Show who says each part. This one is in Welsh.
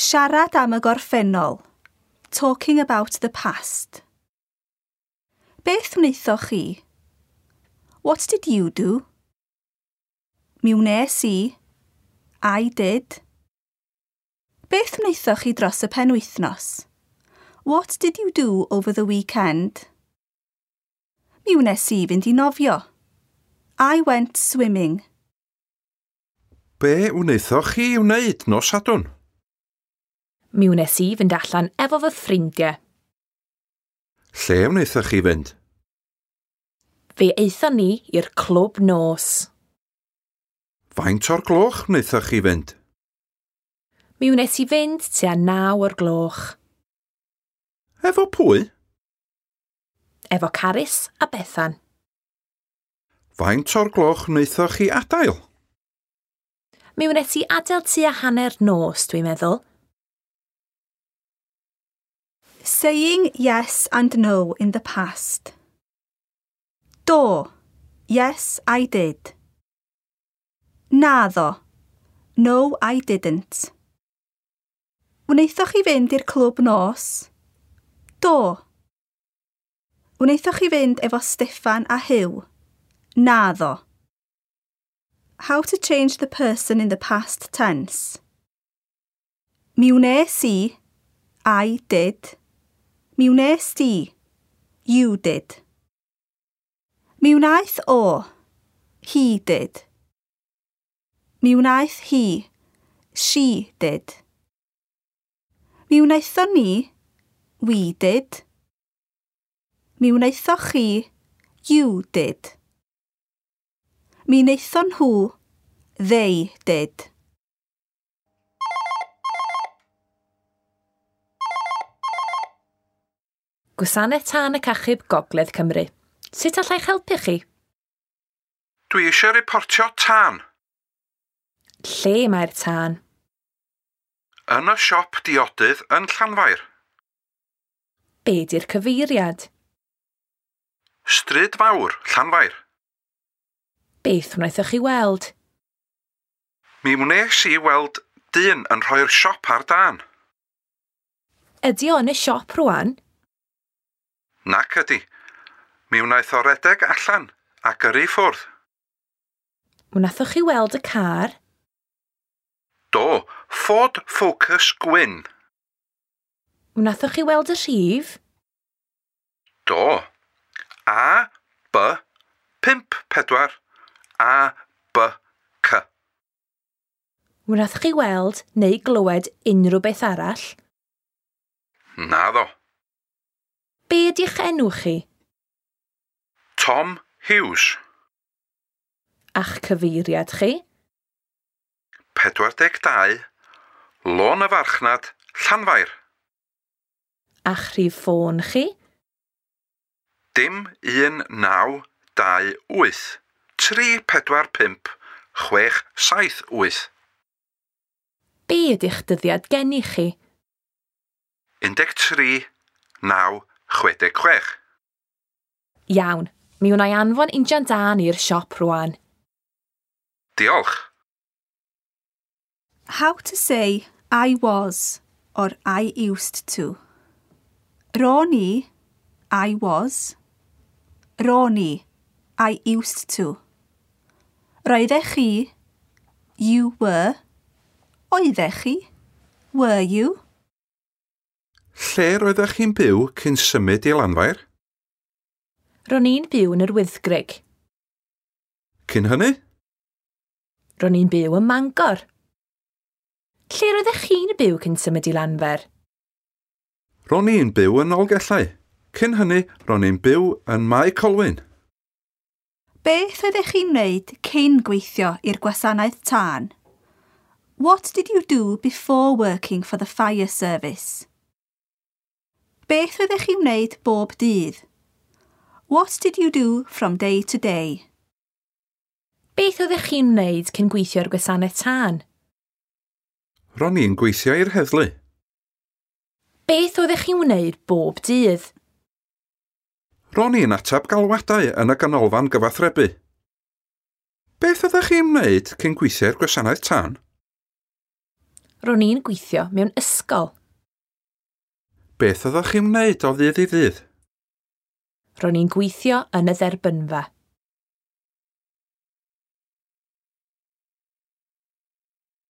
Speaker 1: Siarad am y gorffennol. Talking about the past. Beth wnaethoch chi? What did you do? Mi wnes i. I did. Beth wnaethoch chi dros y penwythnos? What did you do over the weekend? Mi wnes i fynd i nofio. I went swimming.
Speaker 2: Be wnaethoch chi wneud nos Sadwrn?
Speaker 3: Mi wnes i fynd allan efo fy ffrindiau.
Speaker 2: Lle wnaethoch chi fynd?
Speaker 3: Fe aethon ni i'r clwb nos.
Speaker 2: Faint o'r gloch wnaethoch chi fynd?
Speaker 3: Mi wnes i fynd tua 9 o'r gloch.
Speaker 2: Efo pwy?
Speaker 3: Efo Carys a Bethan.
Speaker 2: Faint o'r gloch wnaethoch chi adael?
Speaker 3: Mi wnes i adael tua hanner nos, dwi'n meddwl.
Speaker 1: Saying yes and no in the past. Do. Yes, I did. Naddo. No, I didn't. Wnaethoch chi fynd i'r clwb nos? Do. Wnaethoch chi fynd efo Steffan a Huw? Naddo. How to change the person in the past tense. Mi wnes i. I did. Mi wnes di. You did. Mi wnaeth o. He did. Mi wnaeth hi. She did. Mi wnaethon ni. We did. Mi wnaethoch chi. You did. Mi wnaethon nhw. They did.
Speaker 3: Gwasanaeth Tân ac Achub Gogledd Cymru. Sut allai'ch helpu chi?
Speaker 2: Dwi eisiau reportio tân.
Speaker 3: Lle mae'r tân?
Speaker 2: Yn y siop diodydd yn Llanfair.
Speaker 3: Be di'r cyfeiriad?
Speaker 2: Stryd Fawr, Llanfair.
Speaker 3: Beth wnaethoch chi weld?
Speaker 2: Mi wnes i weld dyn yn rhoi'r siop ar dân.
Speaker 3: Ydy o yn y siop rwan?
Speaker 2: Nac ydy. Mi wnaeth o redeg allan a gyrru i ffwrdd.
Speaker 3: Wnaethoch chi weld y car?
Speaker 2: Do, Ford Focus gwyn.
Speaker 3: Wnaethoch chi weld y rhif?
Speaker 2: Do. A, B, 5, 4, A, B, C.
Speaker 3: Wnaethoch chi weld neu glywed unrhyw beth arall?
Speaker 2: Naddo.
Speaker 3: Be ydy'ch enw chi?
Speaker 2: Tom Hughes.
Speaker 3: A'ch cyfeiriad chi?
Speaker 2: 42, Lôn y Farchnad, Llanfair.
Speaker 3: A'ch rhif ffôn chi?
Speaker 2: Dim 1 9 2 8 3 4 5 6 7 8.
Speaker 3: Be ydy'ch dyddiad geni chi?
Speaker 2: 13 9 66.
Speaker 3: Iawn, mi wna i anfon injan dân i'r siop rwan.
Speaker 2: Diolch.
Speaker 1: How to say I was or I used to. Ro'n i, I was. Ro'n i, I used to. Roeddech chi, you were. Oeddech chi, were you?
Speaker 2: Lle roeddech chi'n byw cyn symud i Lanfair?
Speaker 3: Ro'n i'n byw yn yr Wyddgrug.
Speaker 2: Cyn hynny?
Speaker 3: Ro'n i'n byw ym Mangor. Lle roeddech chi'n byw cyn symud i Lanfair?
Speaker 2: Ro'n i'n byw yn Nolgellau. Cyn hynny, ro'n i'n byw yn Mae Colwyn.
Speaker 1: Beth oeddech chi'n wneud cyn gweithio i'r gwasanaeth tân? What did you do before working for the fire service? Beth oeddech chi'n wneud bob dydd? What did you do from day to day?
Speaker 3: Beth oeddech chi'n wneud cyn gweithio i'r gwasanaeth tân?
Speaker 2: Ro'n i'n gweithio i'r heddlu.
Speaker 3: Beth oeddech chi'n wneud bob dydd?
Speaker 2: Ro'n i'n ateb galwadau yn y ganolfan gyfathrebu. Beth oeddech chi'n wneud cyn gweithio i'r gwasanaeth tân?
Speaker 3: Ro'n i'n gweithio mewn ysgol.
Speaker 2: Beth oeddech chi'n wneud o ddydd i ddydd?
Speaker 3: Ro'n i'n gweithio yn y dderbynfa.